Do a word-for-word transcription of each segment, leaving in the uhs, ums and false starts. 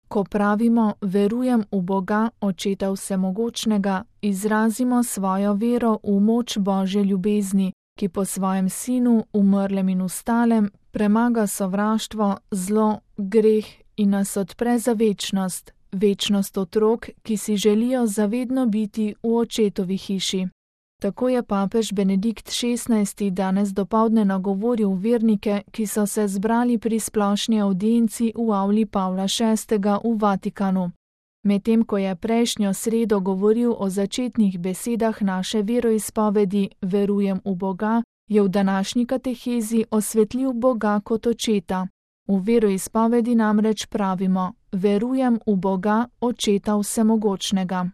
Ko pravimo verujem v Boga, Očeta Vsemogočnega, izrazimo svojo vero v moč Božje ljubezni, ki po svojem Sinu, umrlem in vstalem, premaga sovraštvo, zlo, greh in nas odpre za večnost, večnost otrok, ki si želijo zavedno biti v Očetovi hiši. Tako je papež Benedikt šestnajsti danes dopoldne nagovoril vernike, ki so se zbrali pri splošni avdienci v avli Pavla šestega v Vatikanu. Medtem ko je prejšnjo sredo govoril o začetnih besedah naše veroizpovedi Verujem v Boga, je v današnji katehezi osvetlil Boga kot Očeta. V veroizpovedi namreč pravimo: Verujem v Boga, Očeta Vsemogočnega.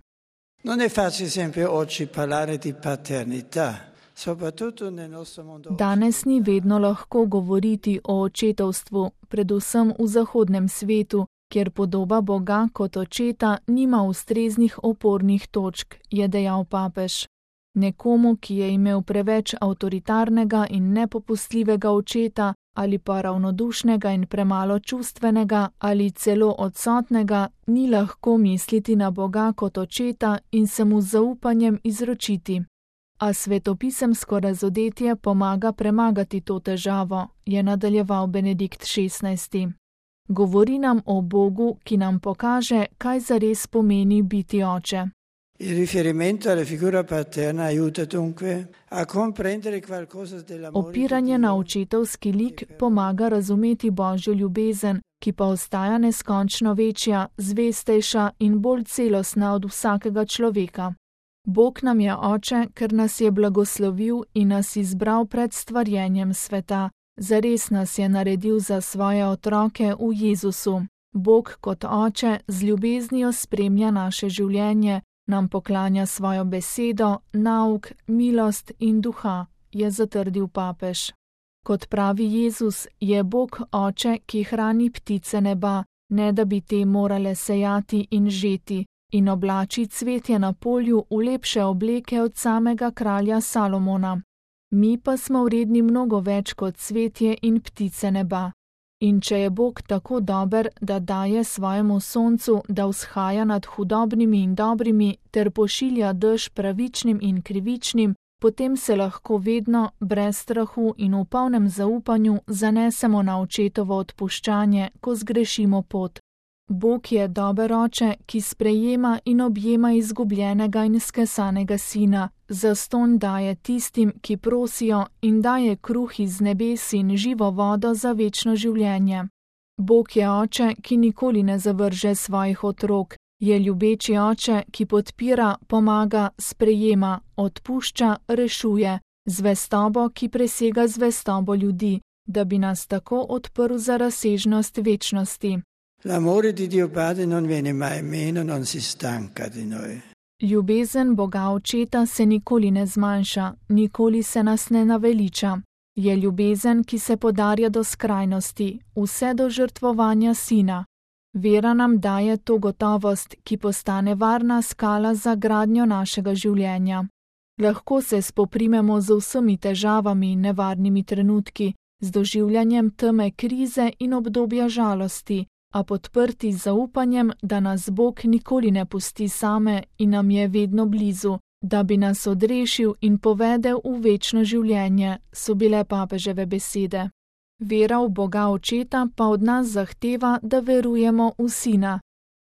Non è facile sempre oggi parlare di paternità, soprattutto nel nostro mondo. Danes ni vedno lahko govoriti o očetovstvu, predvsem v zahodnem svetu, kjer podoba Boga kot Očeta nima ustreznih opornih točk, je dejal papež. Nekomu, ki je imel preveč avtoritarnega in nepopustljivega očeta, ali pa ravnodušnega in premalo čustvenega, ali celo odsotnega, ni lahko misliti na Boga kot Očeta in se mu z zaupanjem izročiti. A svetopisemsko razodetje pomaga premagati to težavo, je nadaljeval Benedikt šestnajsti. Govori nam o Bogu, ki nam pokaže, kaj zares pomeni biti oče. Il riferimento alla figura paterna aiuta dunque a comprendere qualcosa dell'amore. Opiranje na očetovski lik pomaga razumeti Božjo ljubezen, ki pa ostaja neskončno večja, zvestejša in bolj celostna od vsakega človeka. Bog nam je oče, ker nas je blagoslovil in nas izbral pred stvarjenjem sveta. Zares nas je naredil za svoje otroke v Jezusu. Bog kot oče z ljubeznijo spremlja naše življenje, nam poklanja svojo besedo, nauk, milost in duha, je zatrdil papež. Kot pravi Jezus, je Bog oče, ki hrani ptice neba, ne da bi te morale sejati in žeti, in oblači cvetje na polju v lepše obleke od samega kralja Salomona. Mi pa smo vredni mnogo več kot cvetje in ptice neba. In če je Bog tako dober, da daje svojemu soncu, da vzhaja nad hudobnimi in dobrimi, ter pošilja dež pravičnim in krivičnim, potem se lahko vedno, brez strahu in v polnem zaupanju, zanesemo na očetovo odpuščanje, ko zgrešimo pot. Bog je dober oče, ki sprejema in objema izgubljenega in skesanega sina, zastonj daje tistim, ki prosijo, in daje kruh iz nebes in živo vodo za večno življenje. Bog je oče, ki nikoli ne zavrže svojih otrok, je ljubeči oče, ki podpira, pomaga, sprejema, odpušča, rešuje, zvestobo, ki presega zvestobo ljudi, da bi nas tako odprl za razsežnost večnosti. L'amore di Dio Padre non viene mai meno, non si stanca di noi. Ljubezen Boga Očeta se nikoli ne zmanjša, nikoli se nas ne naveliča. Je ljubezen, ki se podarja do skrajnosti, vse do žrtvovanja sina. Vera nam daje to gotovost, ki postane varna skala za gradnjo našega življenja. Lahko se spoprimemo z vsemi težavami in nevarnimi trenutki, z doživljanjem teme krize in obdobja žalosti, a podprti z zaupanjem, da nas Bog nikoli ne pusti same in nam je vedno blizu, da bi nas odrešil in povedel v večno življenje, so bile papeževe besede. Vera v Boga Očeta pa od nas zahteva, da verujemo v Sina.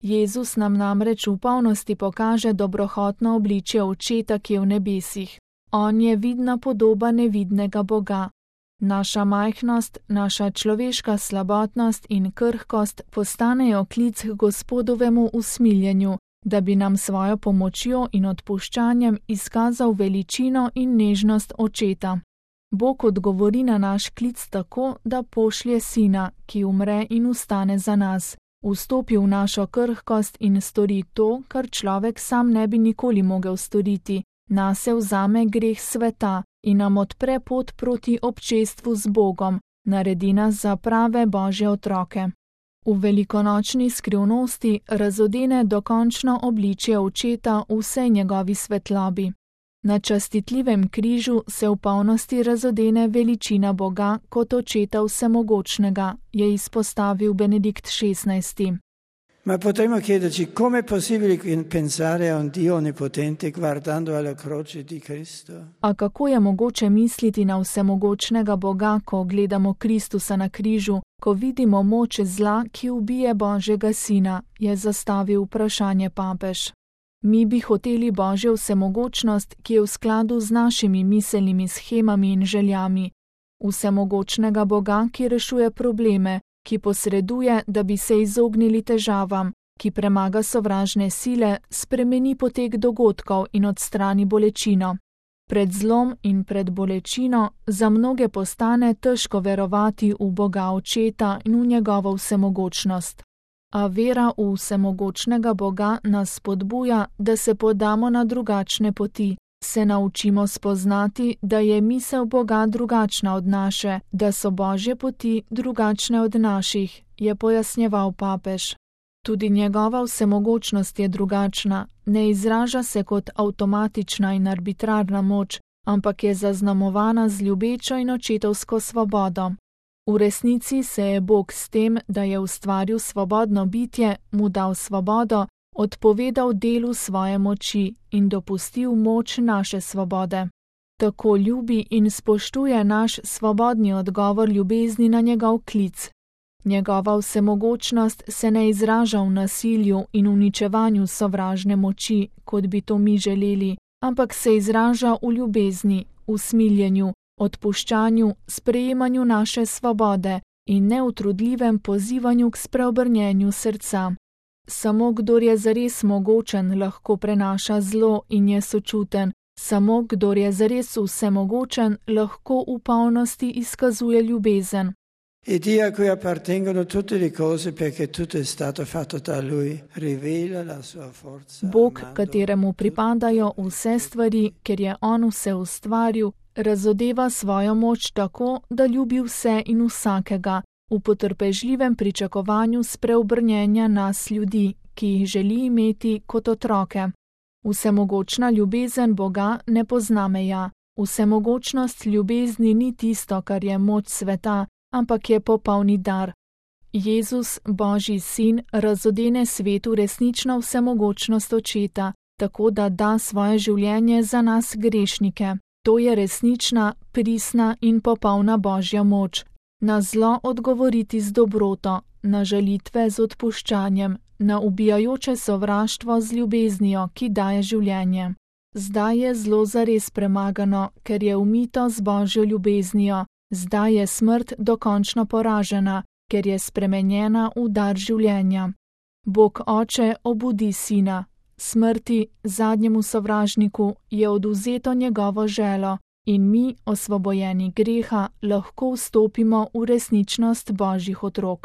Jezus nam namreč v polnosti pokaže dobrohotno obličje Očeta, ki je v nebesih. On je vidna podoba nevidnega Boga. Naša majhnost, naša človeška slabotnost in krhkost postanejo klic k Gospodovemu usmiljenju, da bi nam svojo pomočjo in odpuščanjem izkazal veličino in nežnost Očeta. Bog odgovori na naš klic tako, da pošlje Sina, ki umre in vstane za nas, vstopi v našo krhkost in stori to, kar človek sam ne bi nikoli mogel storiti, nase vzame greh sveta in nam odpre pot proti občestvu z Bogom, naredi nas za prave Božje otroke. V velikonočni skrivnosti razodene dokončno obličje Očeta v vsej njegovi svetlobi. Na častitljivem križu se v polnosti razodene veličina Boga kot Očeta Vsemogočnega, je izpostavil Benedikt šestnajsti. Ma potremmo chiederci come è possibile pensare a un Dio onnipotente guardando alla croce di Cristo? A kako je mogoče misliti na vsemogočnega Boga, ko gledamo Kristusa na križu, ko vidimo moč zla, ki ubije Božjega sina, je zastavil vprašanje papež. Mi bi hoteli Božjo vsemogočnost, ki je v skladu z našimi miselnimi shemami in željami. Vsemogočnega Boga, ki rešuje probleme, ki posreduje, da bi se izognili težavam, ki premaga sovražne sile, spremeni potek dogodkov in odstrani bolečino. Pred zlom in pred bolečino za mnoge postane težko verovati v Boga Očeta in v njegovo vsemogočnost. A vera v vsemogočnega Boga nas spodbuja, da se podamo na drugačne poti, se naučimo spoznati, da je misel Boga drugačna od naše, da so Božje poti drugačne od naših, je pojasnjeval papež. Tudi njegova vsemogočnost je drugačna, ne izraža se kot avtomatična in arbitrarna moč, ampak je zaznamovana z ljubečo in očetovsko svobodo. V resnici se je Bog s tem, da je ustvaril svobodno bitje, mu dal svobodo, odpovedal delu svoje moči in dopustil moč naše svobode. Tako ljubi in spoštuje naš svobodni odgovor ljubezni na njegov klic. Njegova vsemogočnost se ne izraža v nasilju in uničevanju sovražne moči, kot bi to mi želeli, ampak se izraža v ljubezni, v smiljenju, odpuščanju, sprejemanju naše svobode in neutrudljivem pozivanju k spreobrnjenju srca. Samo kdor je zares mogočen, lahko prenaša zlo in je sočuten, samo kdor je zares vsemogočen, lahko v polnosti izkazuje ljubezen. E Dio a cui appartengono tutte le cose perché tutto è stato fatto da Lui, rivela la sua forza. Bog, kateremu pripadajo vse stvari, ker je On vse ustvaril, razodeva svojo moč tako, da ljubi vse in vsakega, v potrpežljivem pričakovanju spreobrnjenja nas ljudi, ki jih želi imeti kot otroke. Vsemogočna ljubezen Boga ne pozna meja. Vsemogočnost ljubezni ni tisto, kar je moč sveta, ampak je popolni dar. Jezus, Božji sin, razodene svetu resnično vsemogočnost Očeta, tako da da svoje življenje za nas grešnike. To je resnična, pristna in popolna Božja moč. Na zlo odgovoriti z dobroto, na žalitve z odpuščanjem, na ubijajoče sovraštvo z ljubeznijo, ki daje življenje. Zdaj je zlo zares premagano, ker je umito z Božjo ljubeznijo. Zdaj je smrt dokončno poražena, ker je spremenjena v dar življenja. Bog Oče obudi Sina. Smrti, zadnjemu sovražniku, je oduzeto njegovo želo in mi, osvobojeni greha, lahko vstopimo v resničnost Božjih otrok.